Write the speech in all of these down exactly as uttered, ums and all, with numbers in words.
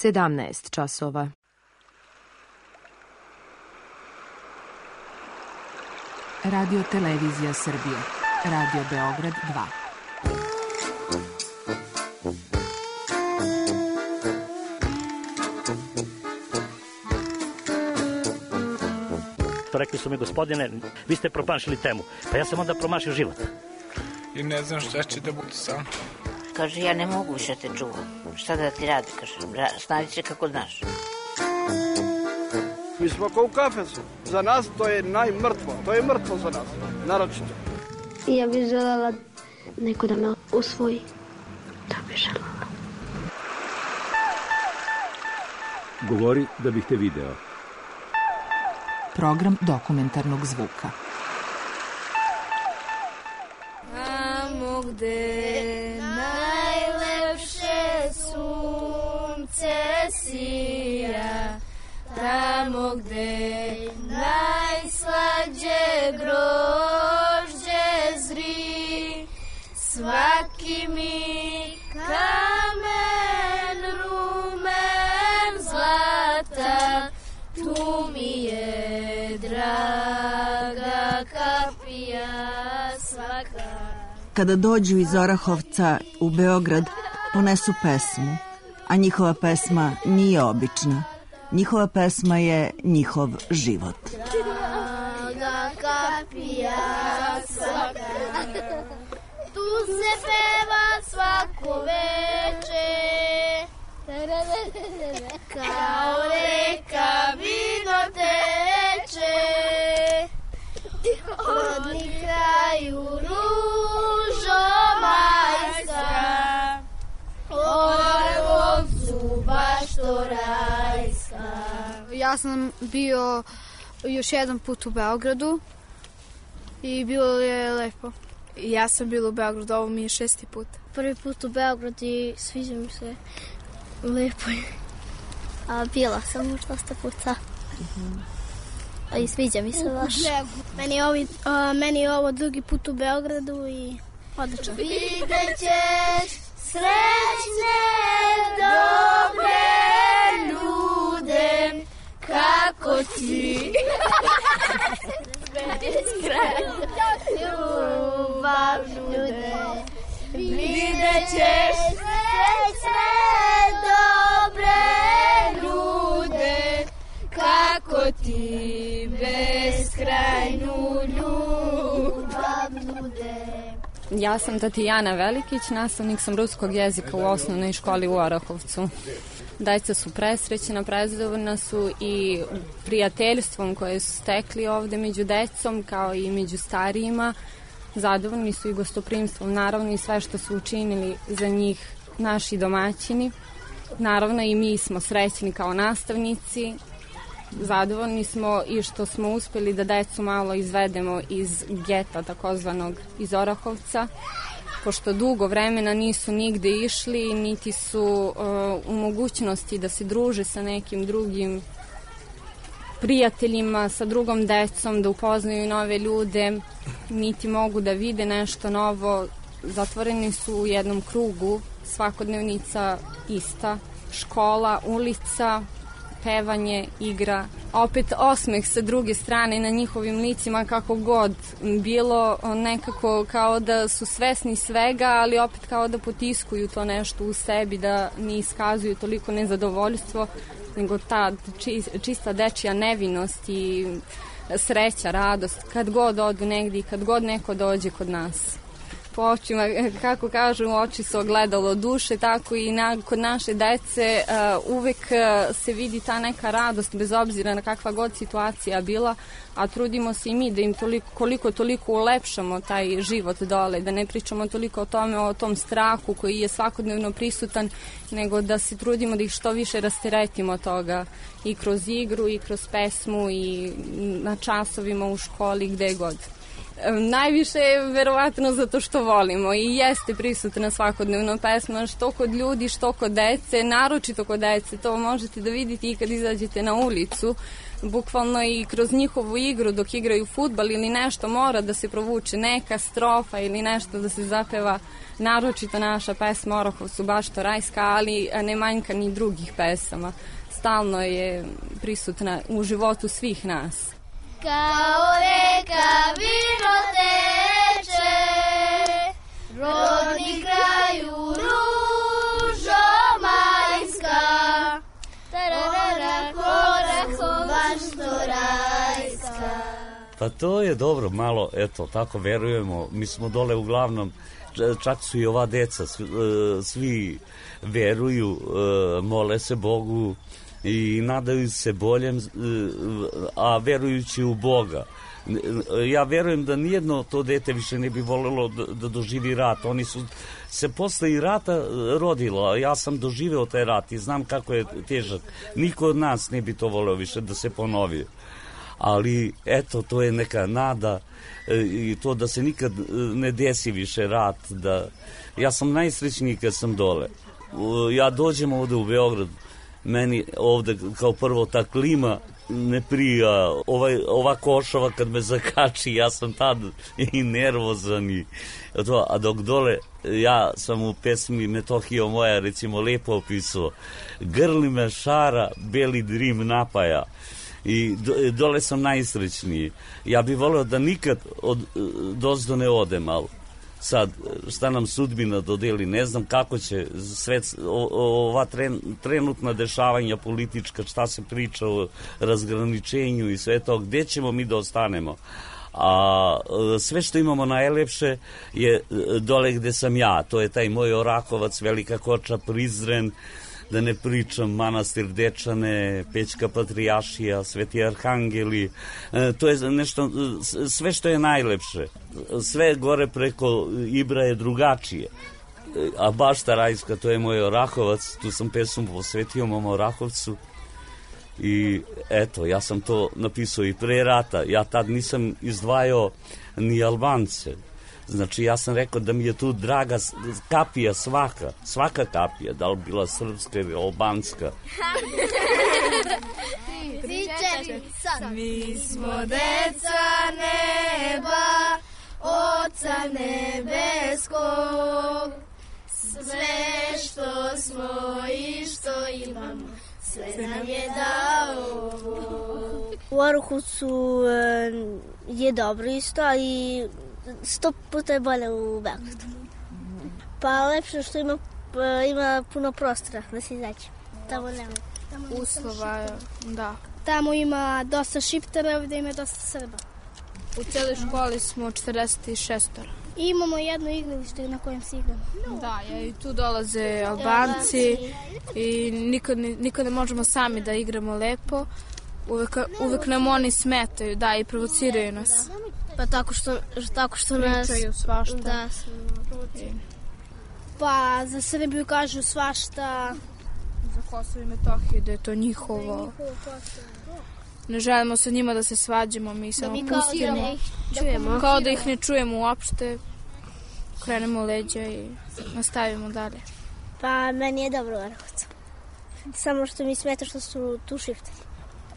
sedamnaest časova. Radio Televizija Srbije. Radio Beograd dva. Rekli su mi, gospodine, vi ste promašili temu. Pa ja sam onda promašio život. I ne znam šta će da bude sam. Kaže, ja ne mogu više te čuvam. Šta da ti radi, kaže, snađi se kako znaš. Mi smo kao u kafesu. Za nas to je najmrtvo. To je mrtvo za nas, naročito. Ja bih želela neko da me usvoji. To bih želela. Govori da bih te video. Program dokumentarnog zvuka. Tamo gde najlepše sunce sija, tamo gde najslađe grožđe zri, svaki mi kamen rumen zlata, tu mi je draga kapija svaka. Kada dođu iz Orahovca u Beograd, ponesu pesmu, a njihova pesma nije obična. Njihova pesma je njihov život. Draga kapija svaka, tu se peva svako veče, kao reka vino teče, rodni kraju ružo majska, Orahovcu baš to rajska. Ja sam bio još jedan put u Beogradu i bilo je lepo. Ja sam bila u Beogradu, ovo mi je šesti put. Prvi put u Beogradu i sviđa mi se. Lepo je. A bila sam još dosta puta. A i sviđa mi se baš. Meni je, ovi, uh, meni je ovo drugi put u Beogradu i odlično. Vidjet ćeš srećne dobre ljude, kako ti ljubav ljude. Vidjet ćeš srećne dobre ljude, kako ti beskrajnu ljubav ljude. Ja sam Tatjana Velikić, nastavnik sam ruskog jezika u osnovnoj školi u Orahovcu. Deca su presrećena, prezadovoljna su i prijateljstvom koje su stekli ovde među decom kao i među starijima. Zadovoljni su i gostoprimstvom, naravno i sve što su učinili za njih naši domaćini. Naravno i mi smo srećni kao nastavnici. Zadovoljni smo i što smo uspeli da decu malo izvedemo iz geta, takozvanog iz Orahovca, pošto dugo vremena nisu nigde išli, niti su uh, u mogućnosti da se druže sa nekim drugim prijateljima, sa drugom decom, da upoznaju nove ljude, niti mogu da vide nešto novo. Zatvoreni su u jednom krugu, svakodnevnica ista, škola, ulica, pevanje, igra, opet osmeh sa druge strane na njihovim licima, kako god bilo, nekako kao da su svesni svega, ali opet kao da potiskuju to nešto u sebi, da ne iskazuju toliko nezadovoljstvo, nego ta čista dečija nevinost i sreća, radost, kad god odu negdje i kad god neko dođe kod nas. Po očima, kako kažu, oči su ogledalo duše, tako i na, kod naše dece uh, uvek uh, se vidi ta neka radost, bez obzira na kakva god situacija bila, a trudimo se i mi da im toliko, koliko toliko ulepšamo taj život dole, da ne pričamo toliko o tome, o tom strahu koji je svakodnevno prisutan, nego da se trudimo da ih što više rasteretimo toga i kroz igru i kroz pesmu i na časovima u školi, gde god. Najviše je verovatno zato što volimo i jeste prisutna svakodnevno pesma, što kod ljudi, što kod dece, naročito kod dece. To možete da vidite i kad izađete na ulicu. Bukvalno i kroz njihovu igru dok igraju fudbal ili nešto mora da se provuče neka strofa ili nešto da se zapeva. Naročito naša pesma Orahovcu Bašto Rajska, ali ne manjka ni drugih pesama. Stalno je prisutna u životu svih nas. Kao reka vino teče, rodni kraju ružo majska, tarara Orahov Bašto Rajska. Pa to je dobro, malo, eto, tako verujemo. Mi smo dole uglavnom, čak su i ova deca, svi veruju, mole se Bogu i nadaju se boljem, a verujući u Boga. Ja verujem da nijedno to dete više ne bi volelo da doživi rat. Oni su se posle i rata rodilo. Ja sam doživeo taj rat i znam kako je težak. Niko od nas ne bi to voleo više da se ponovi. Ali eto, to je neka nada i to da se nikad ne desi više rat. Da... Ja sam najsrećniji kad sam dole. Ja dođem ovde u Beograd, meni ovde kao prvo ta klima ne prija, ovaj, ova košava kad me zakači, ja sam tad i nervozan i to, a dok dole, ja sam u pesmi Metohija moja recimo lepo opisao, grli me šara, beli drim napaja i do, dole sam najsrećniji. Ja bih voleo da nikad od, dozdo ne odem, ali sad, šta nam sudbina dodeli, ne znam kako će sve ova tren, trenutna dešavanja politička, šta se priča o razgraničenju i sve to, gde ćemo mi da ostanemo. A sve što imamo najlepše je dole gde sam ja, to je taj moj Orahovac, Velika Koča, Prizren, da ne pričam Manastir Dečane, Pećka Patrijašija, Sveti Arhangeli, e, to je nešto, sve što je najlepše. Sve gore preko Ibra je drugačije. E, a Bašta Rajska, to je moj Orahovac, tu sam pesmu posvetio mom Orahovcu i eto, ja sam to napisao i pre rata. Ja tad nisam izdvajao ni Albance. Znači, ja sam rekao da mi je tu draga kapija svaka, svaka kapija, da li bila srpska ili albanska. Mi smo deca neba, Oca nebeskog, sve što smo i što imamo, sve nam je dao. U Orahovcu je dobro isto, ali sto puta je bolje u Beogradu. Pa lepše što ima, ima puno prostora da se izađe. Tamo nema. Uslova, da. Tamo ima dosta Šiptara, ovdje ima dosta Srba. U cijeloj školi smo četrdeset šest. I imamo jedno igralište na kojem se igramo. Da, i tu dolaze Albanci i nikad, nikad ne možemo sami da igramo lepo. Uvek, uvek nam oni smetaju, da, i provociraju nas. Pa tako što, tako što nas... Pričaju svašta. Da, pa za Srbiju kažu svašta. Za Kosovo i Metohiju, da je to njihovo. Ne želimo sa njima da se svađamo, mi samo pustimo. Da ih čujemo. Kao da ih ne čujemo uopšte. Krenemo leđa i nastavimo dalje. Pa meni je dobro u Orahovcu. Samo što mi smeta što su tu Šiptari.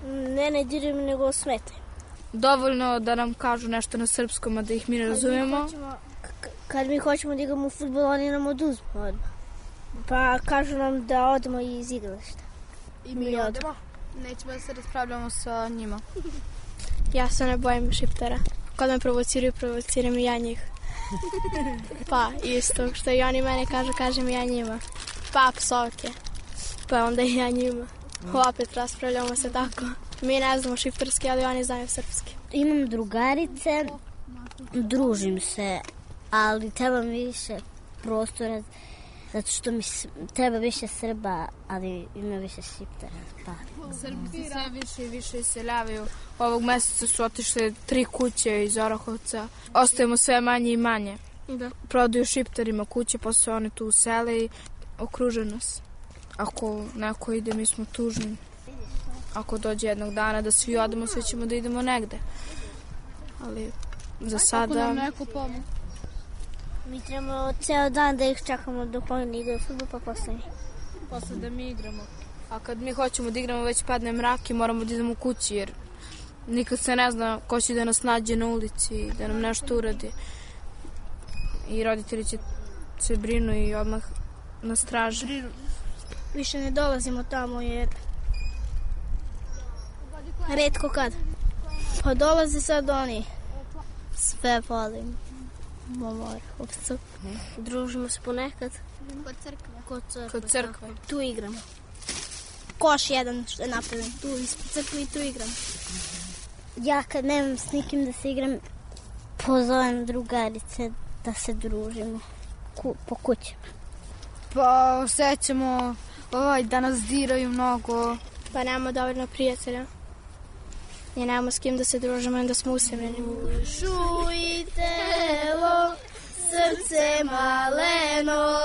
Ne, ne dirim, nego smetaju. Dovoljno da nam kažu nešto na srpskom, a da ih mi ne razumemo. Kad mi hoćemo da igramo u fudbal, oni nam oduzmu odmah. Pa kažu nam da odemo iz igrališta. I mi odemo. Nećemo da se raspravljamo sa njima. Ja se ne bojim Šiptara. Kad me provociraju, provociram i ja njih. Pa isto, što i oni mene kažu, kažem ja njima. Pa psovke. Pa onda i ja njima. Opet raspravljamo se tako. Mi ne znamo šiptarski, ali oni znaju srpski. Imam drugarice, družim se, ali treba mi više prostora, zato što mi treba više Srba, ali ima više Šiptara. Pa. Srbi se sve više i više iseljavaju. Ovog meseca su otišle tri kuće iz Orahovca. Ostajemo sve manje i manje. Da. Prodaju Šiptarima kuće, posle oni tu usele i okruže nas. Ako neko ide, mi smo tužni. Ako dođe jednog dana da svi odemo, svi ćemo da idemo negde. Ali za sada. Ako nam neko pomoć. Mi trebamo ceo dan da ih čekamo dok oni igraju fudbal, pa posle. Posle da mi igramo. A kad mi hoćemo da igramo, već padne mrak i moramo da idemo u kući, jer nikad se ne zna ko će da nas nađe na ulici, da nam nešto uradi. I roditelji će se brinu i odmah na straži. Više ne dolazimo tamo jer retko kad. Pa dolaze sad oni. Sve volim. Momor, ovcu. Družimo se ponekad. Kod crkve. Kod crkve. Kod crkve. Tu igramo. Koš jedan što je napravljen. Tu ispod crkve i tu igram. Ja kad nemam s nikim da se igram, pozovem drugarice da se družimo Ku, po kućama. Pa osjećamo ovaj, da nas diraju mnogo. Pa nemamo dovoljno prijatelja. I nemamo s kim da se družimo i da smo usamljeni. Dušu i telo, srce maleno,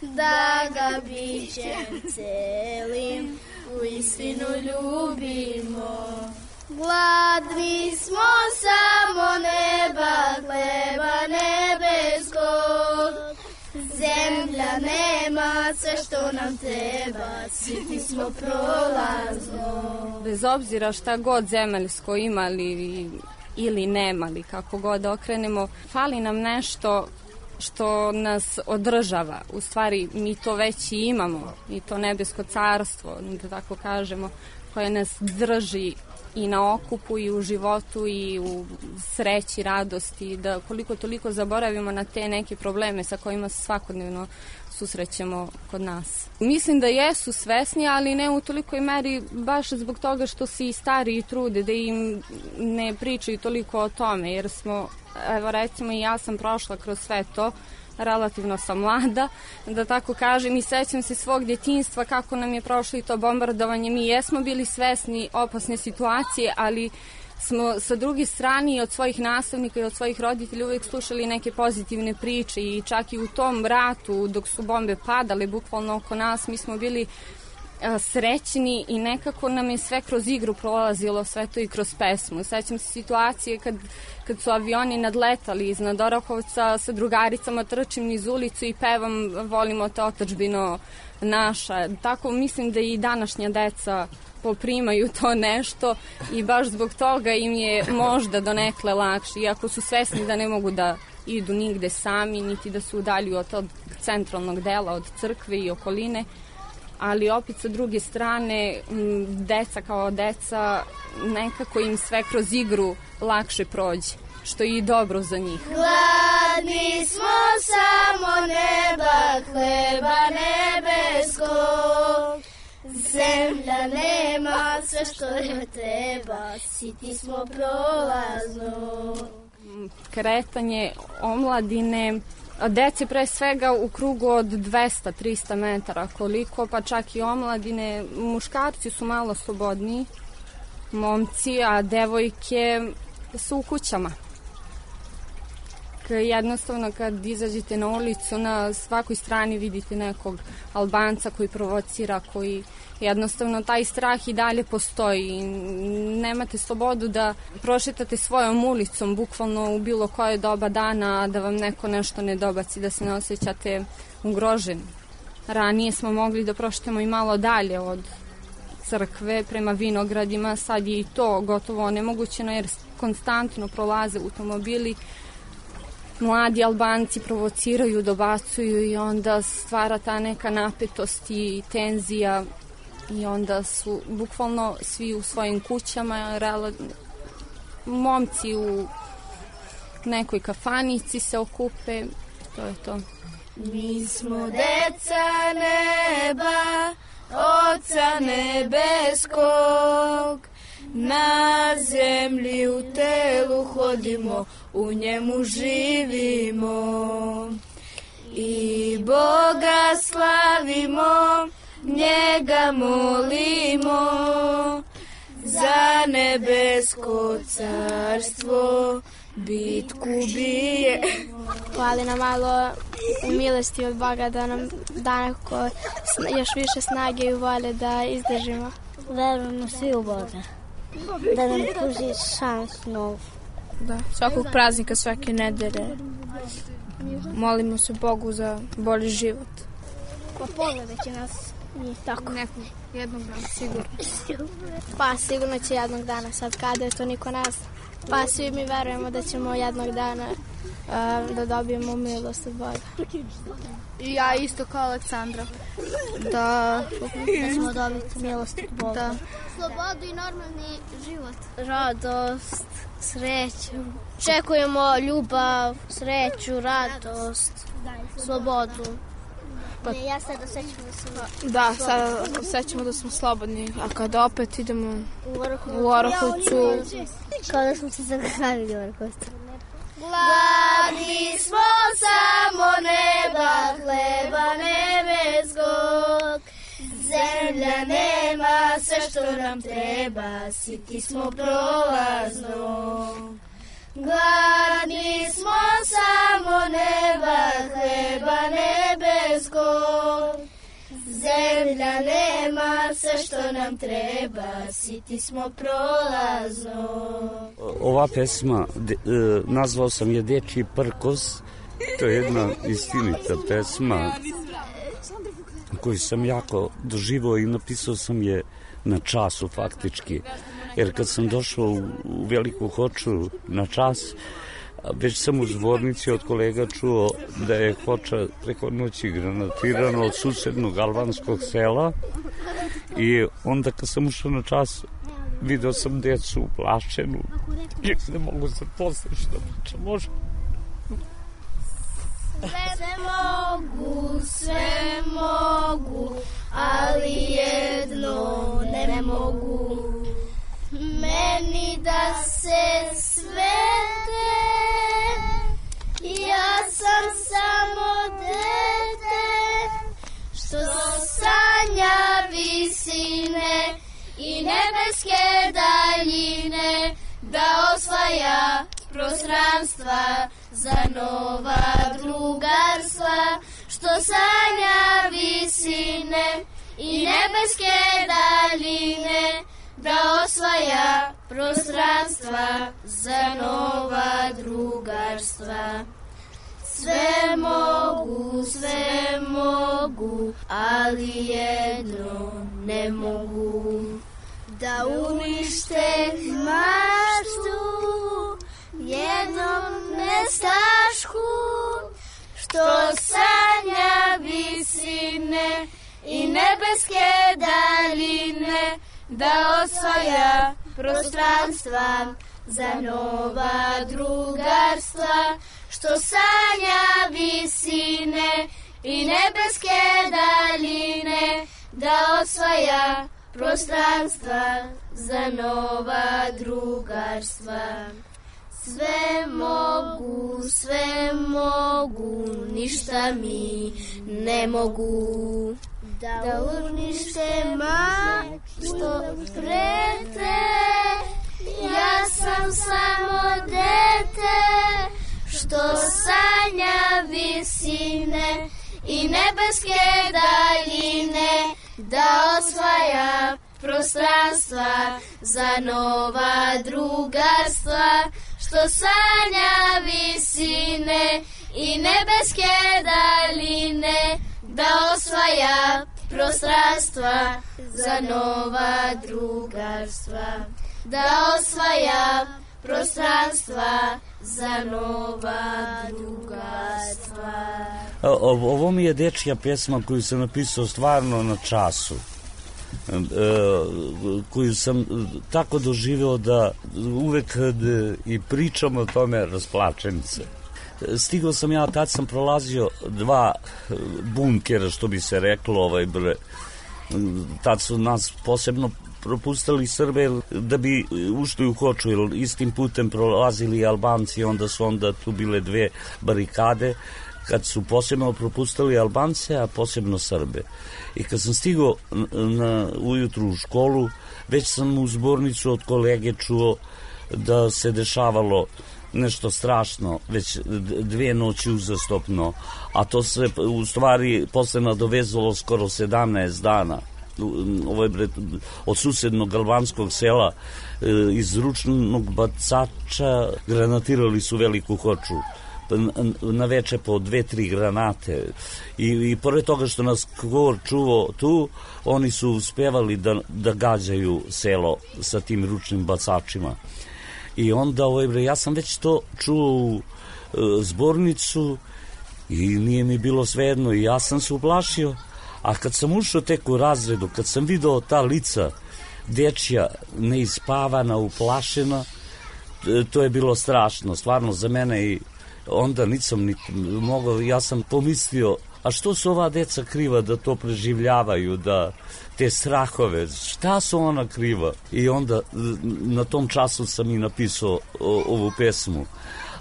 da ga bićem celim u istinu ljubimo. Gladni smo samo neba, hleba nebeskog. Zemlja nema sve što nam treba, siti smo prolazno. Bez obzira šta god zemaljsko imali ili nemali, kako god okrenemo, fali nam nešto što nas održava. U stvari mi to već i imamo, i to nebesko carstvo, da tako kažemo, koje nas drži i na okupu i u životu i u sreći, radosti, da koliko toliko zaboravimo na te neke probleme sa kojima se svakodnevno susrećemo kod nas. Mislim da jesu svesni, ali ne u tolikoj meri baš zbog toga što se i stariji trude da im ne pričaju toliko o tome, jer smo, evo recimo i ja sam prošla kroz sve to, relativno sam mlada, da tako kažem, i sećam se svog djetinjstva kako nam je prošlo i to bombardovanje. Mi jesmo bili svesni opasne situacije, ali smo sa druge strane i od svojih nastavnika i od svojih roditelja uvijek slušali neke pozitivne priče i čak i u tom ratu dok su bombe padale bukvalno oko nas, mi smo bili a, srećni i nekako nam je sve kroz igru prolazilo, sve to i kroz pesmu. Sećam se situacije kad, kad su avioni nadletali iznad Orahovca, sa drugaricama trčim niz ulicu i pevam volimo te otadžbino naša. Tako mislim da i današnja deca poprimaju to nešto i baš zbog toga im je možda donekle lakše, iako su svesni da ne mogu da idu nigde sami, niti da se udaljuju od tog centralnog dela, od crkve i okoline, ali opet sa druge strane deca kao deca nekako im sve kroz igru lakše prođe, što je i dobro za njih. Gladni smo samo neba, hleba nebeskog. Zemlja nema sve što je treba, siti smo prolazno. Kretanje omladine, dece pre svega u krugu od dvesta do trista metara, koliko, pa čak i omladine. Muškarci su malo slobodniji, momci, a devojke su u kućama. Jednostavno kad izađete na ulicu, na svakoj strani vidite nekog Albanca koji provocira, koji jednostavno taj strah i dalje postoji. Nemate slobodu da prošetate svojom ulicom bukvalno u bilo koje doba dana, da vam neko nešto ne dobaci, da se ne osjećate ugroženi. Ranije smo mogli da prošetamo i malo dalje od crkve prema vinogradima, sad je i to gotovo onemogućeno jer konstantno prolaze automobili. Mladi Albanci provociraju, dobacuju i onda stvara ta neka napetost i tenzija i onda su bukvalno svi u svojim kućama, rela... momci u nekoj kafanici se okupe, to je to. Mi smo deca neba, Oca nebeskog, na zemlji u telu hodimo, u njemu živimo i Boga slavimo, njega molimo za nebesko carstvo, bitku bije. Hvali nam malo u milosti od Boga da nam da neko još više snage i volje da izdržimo. Verujemo svi u Boga, da nam pruži šansu novu. Da, svakog praznika, svake nedelje. Molimo se Bogu za bolji život. Pa pogledat nas i tako. Nekog, jednog dana, sigurno. Pa sigurno će jednog dana, sad kada je to niko ne zna. Pa svi mi verujemo da ćemo jednog dana uh, da dobijemo milost od Boga. I ja isto kao Aleksandra. Da, da ćemo dobiti milost od Boga. Da. Slobodu i normalni život. Radost, sreću. Čekujemo ljubav, sreću, radost, slobodu. Pa, ne, ja sad osjećam da sam... Da, sad osjećamo da smo slobodni, a kada opet idemo u Orahovcu... Kao da smo se zaglavili u Orahovcu. Gladni smo samo neba, hleba nebeskog. Zemlja nema sve što nam treba, siti smo prolaznog. Gladni smo samo neba, hleba nebeskog. Zemlja nema sve što nam treba, siti smo prolaznog. Ova pesma, de, e, nazvao sam je Dečji prkos. To je jedna istinita pesma koju sam jako doživao i napisao sam je na času faktički. Jer kad sam došao u, u Veliku Hoču na čas, već sam u zbornici od kolega čuo da je Hoča preko noći granatirano od susednog albanskog sela i onda kad sam ušao na čas video sam decu uplašenu i ne mogu se postići da priča može. Sve mogu, sve mogu, ali jedno ne mogu. Meni da se svete, ja sam samo dete, što sanja visine i nebeske daljine, da osvaja prostranstva za nova drugarstva, što sanja visine i nebeske daljine, da osvaja prostranstva za nova drugarstva. Sve mogu, sve mogu, ali jedno ne mogu. Da unište maštu jednom nestašku, što sanja visine i nebeske daljine, da osvaja prostranstva za nova drugarstva, što sanja visine i nebeske daljine, da osvaja prostranstva za nova drugarstva. Sve mogu, sve mogu, ništa mi ne mogu. Da unište ma što prete, ja sam samo dete, što sanja visine i nebeske daljine, da osvaja prostranstva za nova drugarstva, što sanja visine i nebeske daljine, da osvaja prostranstva za nova drugarstva, da osvaja prostranstva za nova drugarstva. Ovo mi je dečja pesma koju sam napisao stvarno na času, koju sam tako doživeo da uvek kad i pričam o tome rasplačem se. Stigao sam ja, tad sam prolazio dva bunkera, što bi se reklo, ovaj bre. Tad su nas posebno propustili Srbe da bi ušli u Hoču, jer istim putem prolazili Albanci, onda su onda tu bile dve barikade, kad su posebno propustili Albance, a posebno Srbe. I kad sam stigao na, ujutru u školu, već sam u zbornicu od kolege čuo da se dešavalo nešto strašno, već dve noći uzastopno, a to se u stvari posle nadovezalo skoro sedamnaest dana. ovaj bre, od susednog albanskog sela iz ručnog bacača granatirali su veliku Hoču. Na veče po dve, tri granate i, i pored toga što nas Kor čuvao tu, oni su uspevali da, da gađaju selo sa tim ručnim bacačima. I onda, ovaj bre, ja sam već to čuo u e, zbornicu i nije mi bilo svejedno i ja sam se uplašio, a kad sam ušao tek u razredu, kad sam video ta lica dečja neispavana, uplašena, to je bilo strašno, stvarno za mene. I onda nisam ni mogao, ja sam pomislio, a što su ova deca kriva da to preživljavaju, da te strahove, šta su ona kriva? I onda na tom času sam i napisao o, ovu pesmu.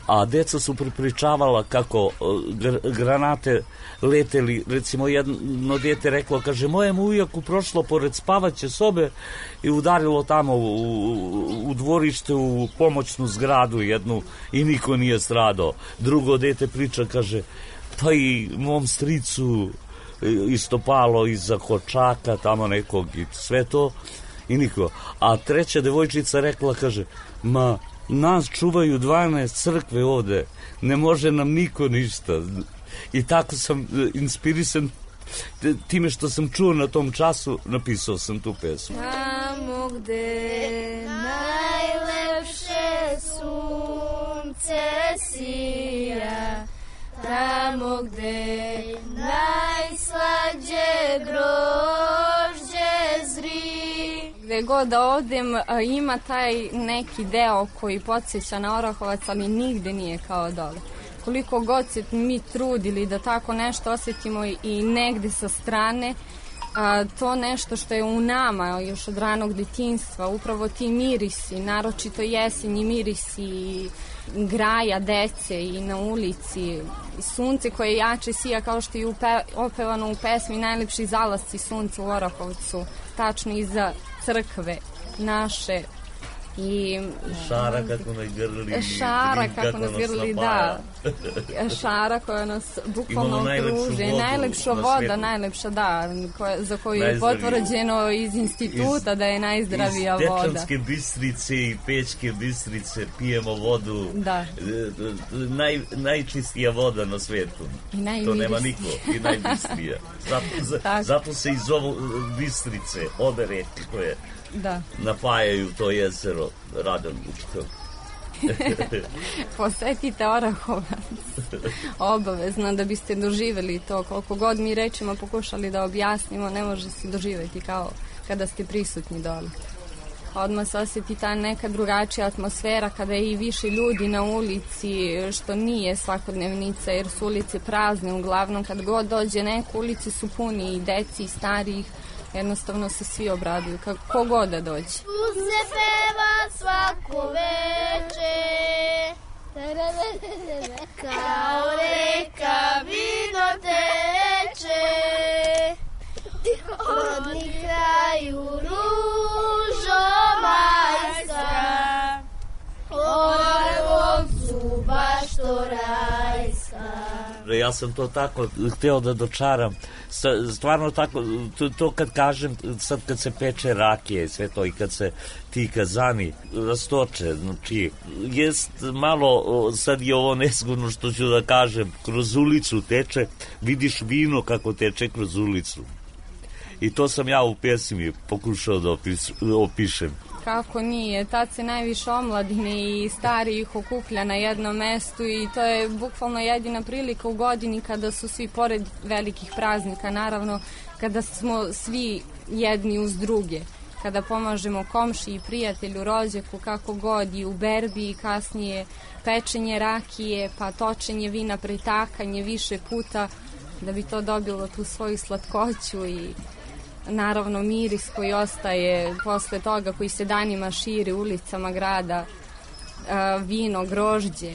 A deca su pripričavala kako gr- granate leteli, recimo jedno dete reklo, kaže, mojem ujaku prošlo pored spavaće sobe i udarilo tamo u, u, u dvorište u pomoćnu zgradu jednu i niko nije stradao. Drugo dete priča, kaže, pa i mom stricu istopalo iza kočaka tamo nekog i sve to i niko. A treća devojčica rekla, kaže, ma nas čuvaju dvanaest crkve ovde, ne može nam niko ništa. I tako sam inspirisan time što sam čuo na tom času, napisao sam tu pesmu. Tamo gde najlepše sunce sija, tamo gde najslađe grožđe zri. Gde god da odem, ima taj neki deo koji podsjeća na Orahovac, ali nigde nije kao dole. Koliko god se mi trudili da tako nešto osjetimo i negde sa strane, a, to nešto što je u nama još od ranog detinjstva, upravo ti mirisi, naročito jesenji mirisi graja, dece i na ulici, sunce koje jače sija, kao što je upe, opevano u pesmi Najlepši zalasci sunca u Orahovcu, tačno iza crkve naše. I šara kako nas grli, šara kako nas grli, da. Šara koja nas bukvalno okruže, najlepša voda, najlepša, da, koja, za koju je potvrđeno iz instituta iz, da je najzdravija iz voda. Iz Dečanske Bistrice i Pećke Bistrice pijemo vodu, da. Naj, najčistija voda na svetu. I to nema niko, i najbistrija. Zato, za, zato se iz ovo Bistrice, obe reke koje da napajaju to jezero Radan Vučkov. Posetite Orahovac obavezno da biste doživjeli to. Koliko god mi rečima pokušali da objasnimo, ne može se doživjeti kao kada ste prisutni dole. Odmah se osjeti ta neka drugačija atmosfera kada je i više ljudi na ulici, što nije svakodnevnica jer su ulice prazne uglavnom. Kad god dođe neko, ulici su puni i deci i starijih. Jednostavno se svi obraduju, kako god da dođe. Tu se peva svako veče, kao reka vino teče, rodni kraju ružo majska, Orahovcu baš to rajska. Ja sam to tako hteo da dočaram. Stvarno tako, to, to kad kažem, sad kad se peče rakije i sve to i kad se ti kazani rastoče, znači, jest malo, sad je ovo nezgodno što ću da kažem, kroz ulicu teče, vidiš vino kako teče kroz ulicu. I to sam ja u pesmi pokušao da opis, opišem. Kako nije, tad se najviše omladine i starijih okuplja na jednom mestu i to je bukvalno jedina prilika u godini kada su svi pored velikih praznika, naravno kada smo svi jedni uz druge, kada pomažemo komši i prijatelju, rođaku, kako god, i u berbi i kasnije pečenje rakije, pa točenje vina, pretakanje više puta da bi to dobilo tu svoju slatkoću i naravno miris koji ostaje posle toga, koji se danima širi ulicama grada, vino, grožđe,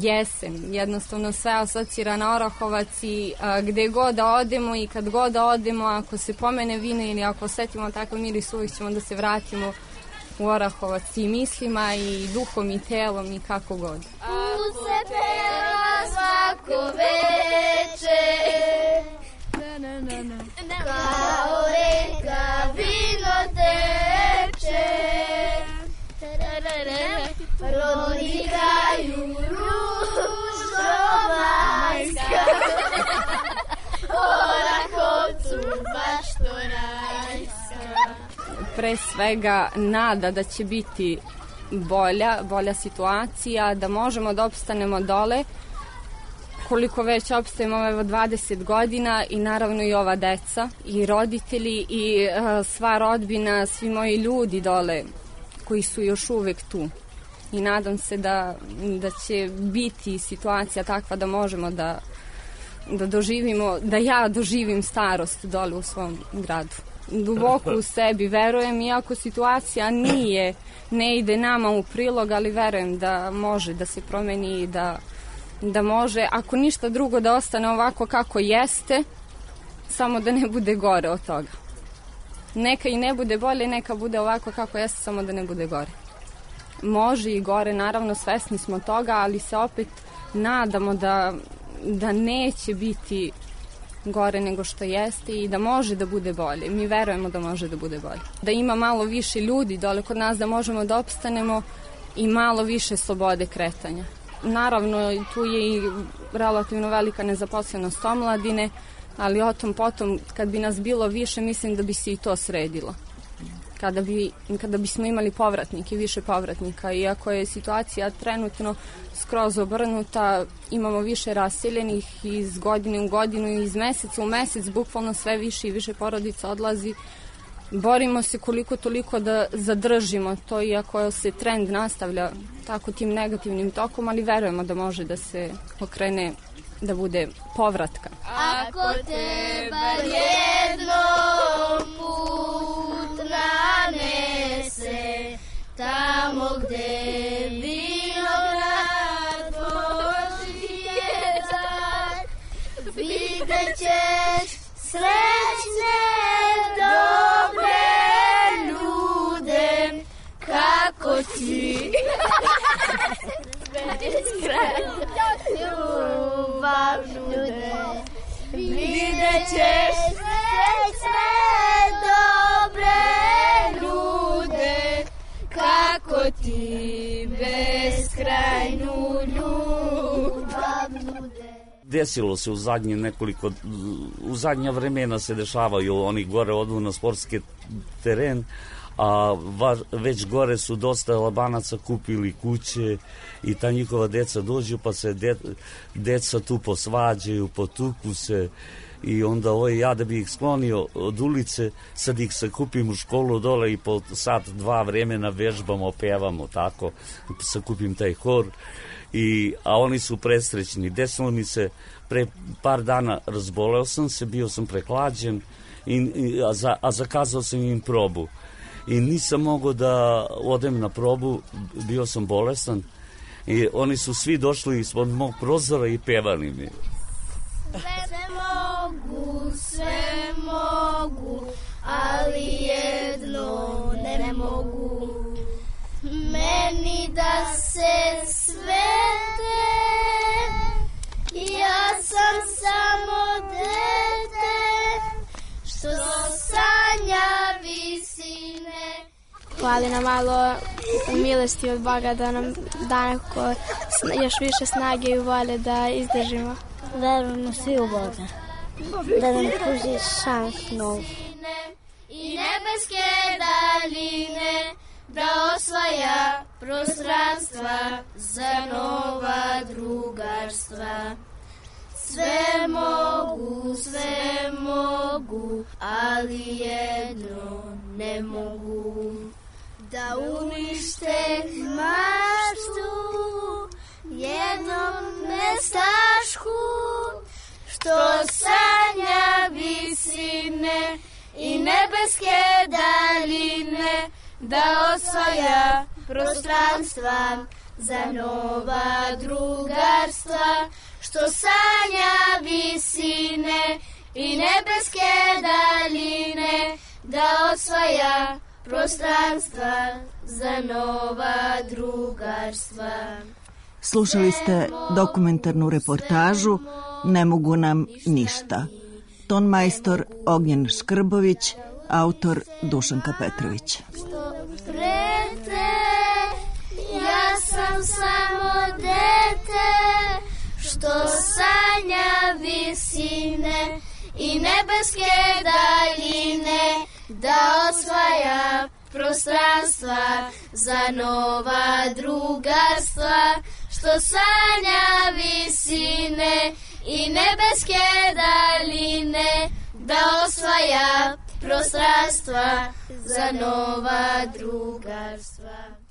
jesen, jednostavno sve asocira na Orahovac i gde god da odemo i kad god da odemo, ako se pomene vino ili ako osetimo takav miris, uvijek ćemo da se vratimo u Orahovac i mislima i duhom i telom i kako god. Tu se peva svako veče, kao pre svega nada da će biti bolja, bolja situacija, da možemo da opstanemo dole, koliko već opstajemo evo dvadeset godina i naravno i ova deca i roditelji i uh, sva rodbina, svi moji ljudi dole koji su još uvek tu. I nadam se da, da će biti situacija takva da možemo da, da doživimo, da ja doživim starost dole u svom gradu. Duboko u sebi verujem, iako situacija nije, ne ide nama u prilog, ali verujem da može da se promeni i da, da može, ako ništa drugo, da ostane ovako kako jeste, samo da ne bude gore od toga. Neka i ne bude bolje, neka bude ovako kako jeste, samo da ne bude gore. Može i gore, naravno svesni smo toga, ali se opet nadamo da, da neće biti gore nego što jeste i da može da bude bolje. Mi verujemo da može da bude bolje. Da ima malo više ljudi dole kod nas, da možemo da opstanemo i malo više slobode kretanja. Naravno, tu je i relativno velika nezaposlenost omladine, ali o tom potom, kad bi nas bilo više, mislim da bi se i to sredilo. Kada, bi, kada bismo imali povratnike, više povratnika. Iako je situacija trenutno skroz obrnuta, imamo više raseljenih iz godine u godinu i iz meseca u mesec, bukvalno sve više i više porodica odlazi. Borimo se koliko toliko da zadržimo to, iako se trend nastavlja tako tim negativnim tokom, ali verujemo da može da se okrene, da bude povratka. Ako te bar jednom put nanese, tamo gde vinograd počinje dar, vidjet ćeš srećne dobre ljude, kako ti ljubav nude. Vidjet ćeš srećne dobre ljude, kako ti beskrajnu ljubav nude. Desilo se u zadnje nekoliko, u zadnja vremena se dešavaju, oni gore odu na sportski teren, a već gore su dosta Albanaca kupili kuće i ta njihova deca dođu pa se de, deca tu posvađaju, potuku se i onda ovaj, ja da bi ih sklonio od ulice, sad ih se kupim u školu dole i po sat, dva vremena vežbamo, pevamo, tako, se kupim taj hor. I, a oni su presrećni. Desilo mi se, pre par dana razboleo sam se, bio sam preklađen, i, i, a, za, a zakazao sam im probu. I nisam mogao da odem na probu, bio sam bolestan i oni su svi došli ispod mog prozora i pevali mi. Sve mogu, sve mogu, ali jedno ne mogu. Meni da se svete, ja sam samo dete, što sanja visine. Hvali nam malo u milosti od Boga da nam da neko još više snage i volje da izdržimo. Verujemo svi u Boga, da nam pruži šans novu. I nebeske daljine, da osvaja prostranstva za nova drugarstva. Sve mogu, sve mogu, ali jedno ne mogu. Da unište maštu jednom nestašku, što sanja visine i nebeske daljine, da osvaja prostranstva za nova drugarstva, što sanja visine i nebeske daljine, da osvaja prostranstva za nova drugarstva. Slušali ste dokumentarnu reportažu Ne mogu nam ništa. Tonmajstor Ognjen Škrbović, autor Dušanka Petrović. Prete, ja sam samo dete, što sanja visine i nebeske daljine, da osvaja prostranstva za nova drugarstva, što sanja visine i nebeske daline, da osvaja prostranstva za nova drugarstva.